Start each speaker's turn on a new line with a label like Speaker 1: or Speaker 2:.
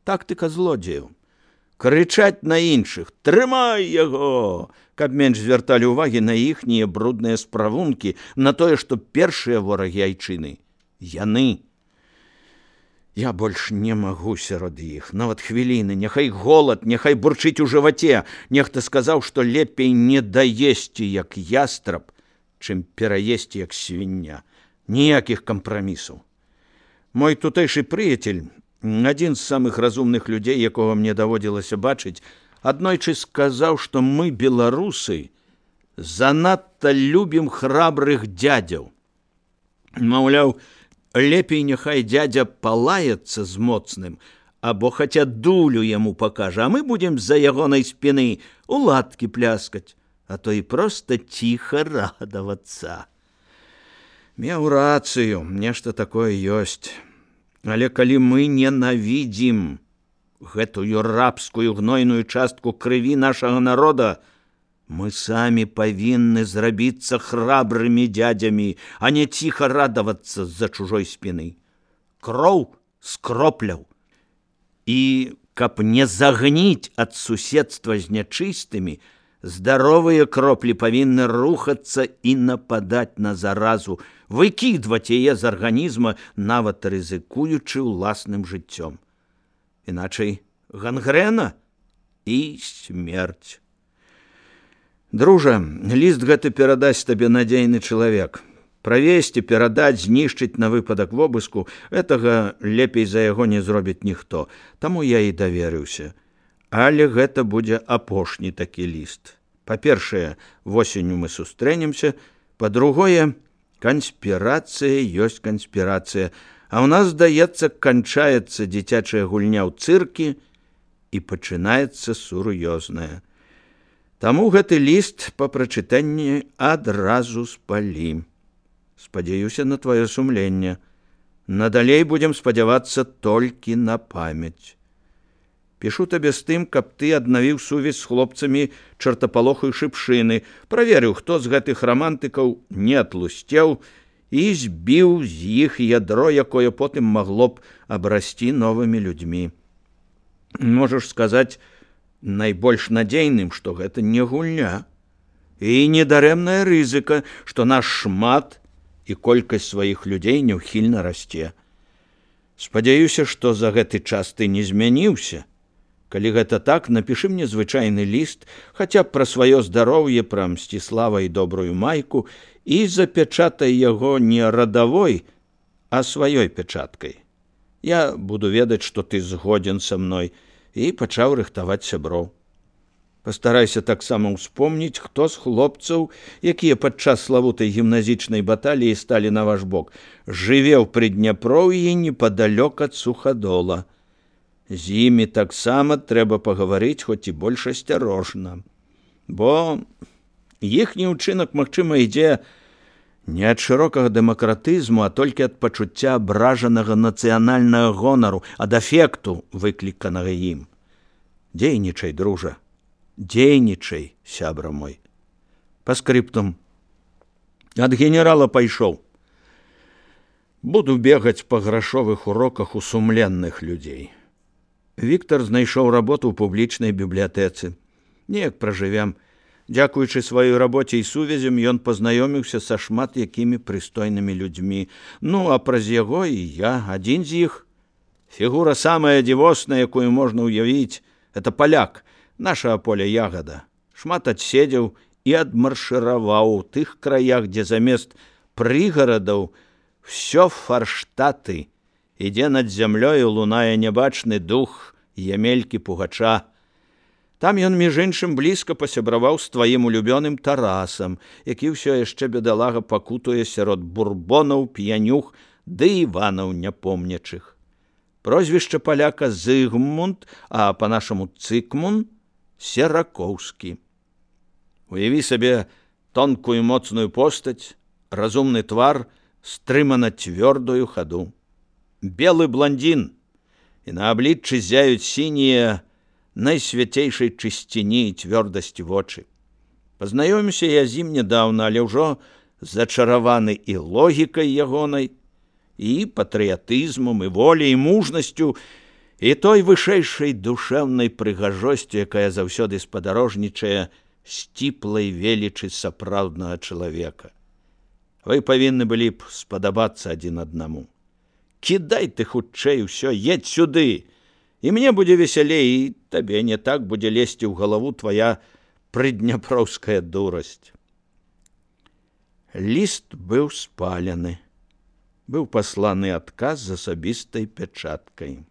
Speaker 1: тактыка злодзеяў. Крычаць на іншых: «Трымай яго!», каб менш звярталі ўвагі на іхнія брудныя справункі, на тое, што першыя ворагі айчыны – яны. Я больш не магу сярод іх, нават хвіліны, няхай голад, няхай бурчыць у жываце. Нехта сказаў, што лепей не даесці, як ястраб, чым пераесці, як свіння. Ніякіх кампрамісаў. Мой тутэйшы прыяцель, адзін з самых разумных людзей, якога мне даводзілася бачыць, аднойчы сказаў, што мы, беларусы, занадта любім храбрых дзядзяў. Маўляў, лепей няхай дзядзя палаецца з моцным, або хаця дулю яму пакажа, а мы будзем з-за ягонай спіны у ладкі пляскаць, а то і проста ціха радавацца. Меў рацыю, нешта такое ёсць. Але калі мы ненавідзім гэтую рабскую гнойную частку крыві нашага народа, мы самі павінны зрабіцца храбрымі дзядзямі, а не ціха радавацца з-за чужой спіны. Кроў з кропляў. І каб не загніць ад суседства з нячыстымі, здаровыя кроплі павінны рухацца і нападаць на заразу, выкідваць яе з арганізма, нават рызыкуючы ўласным жыццём. Іначай гангрэна і смерць. Дружа, ліст гэты перадасць табе надзейны чалавек. Правесці, перадаць, знішчыць на выпадак вобыску – гэтага лепей за яго не зробіць ніхто. Таму я і даверыўся. Але гэта будзе апошні такі ліст. Па-першае, восенню мы сустрэнемся. Па-другое, канспірацыя ёсць канспірацыя. А ў нас, здаецца, канчаецца дзіцячая гульня ў цыркі і пачынаецца сур'ёзная. Таму гэты ліст па прачытанні адразу спалім. Спадзяюся на тваё сумленне. Надалей будзем спадзявацца толькі на памяць. Пішу табе з тым, каб ты аднавіў сувязь з хлопцамі чартапалоху і шыпшыны, праверыў, хто з гэтых рамантыкаў не атлусцеў і збіў з іх ядро, якое потым магло б абрасці новымі людзьмі. Можаш сказаць найбольш надзейным, што гэта не гульня і недарэмная рызыка, што наш шмат і колькасць сваіх людзей няўхільна расце. Спадзяюся, што за гэты час ты не змяніўся. Калі гэта так, напішы мне звычайны ліст, хаця б пра сваё здароўе, пра Мсціслава і добрую майку, і запячатай яго не радавой, а сваёй пячаткай. Я буду ведаць, што ты згодзін са мной, і пачаў рыхтаваць сяброў. Пастарайся таксама ўспомніць, хто з хлопцаў, якія падчас славутай гімназічнай баталіі сталі на ваш бок, жыве ў Прыдняпроўі непадалёк ад Сухадола. З імі таксама трэба пагаварыць, хоць і больш асцярожна. Бо іхні ўчынак, магчыма, ідзе не ад шырокага дэмакратызму, а толькі ад пачуцця абражанага нацыянальнага гонару, ад афекту, выкліканага ім. Дзейнічай, дружа, дзейнічай, сябра мой. Па скрыптум. Ад генерала пайшоў. Буду бегаць па грашовых уроках у сумленных людзей. Віктор знайшоў работу ў публічнай бібліятэцы. Неяк пражывем. Дзякуючы сваёй рабоце і сувязям, ён пазнаёміўся са шмат якімі прыстойнымі людзьмі. Ну, а праз яго і я, адзін з іх. Фігура самая дзівосная, якую можна ўявіць, это паляк, наша Поля Ягада. Шмат адседзеў і адмаршыраваў у тых краях, дзе замест прыгарадаў всё фарштаты. Ідзе над зямлёю, лунае нябачны дух Емелькі Пугача. Там ён, між іншым, блізка пасябраваў з тваім улюбёным Тарасам, які ўсё яшчэ, бедалага, пакутуе сярод бурбонаў, п'янюх ды Іванаў няпомнячых. Прозвішча паляка Зыгмунд, а па-нашаму Цыкмун Серакоўскі. Уяві сабе тонкую моцную постаць, разумны твар, стрымана цвёрдую хаду. Белы блондин, і на абліччы зяюць сінія найсвяцейшай чысціні і цвёрдасці вочы. Пазнаёміўся я з ім нядаўна, але ўжо зачараваны і логікай ягонай, і патрыятызмам, і воляй, і мужнасцю, і той вышэйшай душэўнай прыгажосцю, якая заўсёды спадарожнічае сціплай велічы сапраўднага чалавека. Вы павінны былі б спадабацца адзін аднаму. Кідай ты хутчэй усё, едь сюды, і мне будзе весялей, і табе не так будзе лезці ў галаву твая прыдняпроўская дурасць. Ліст быў спалены. Быў пасланы адказ з асабістай пячаткай.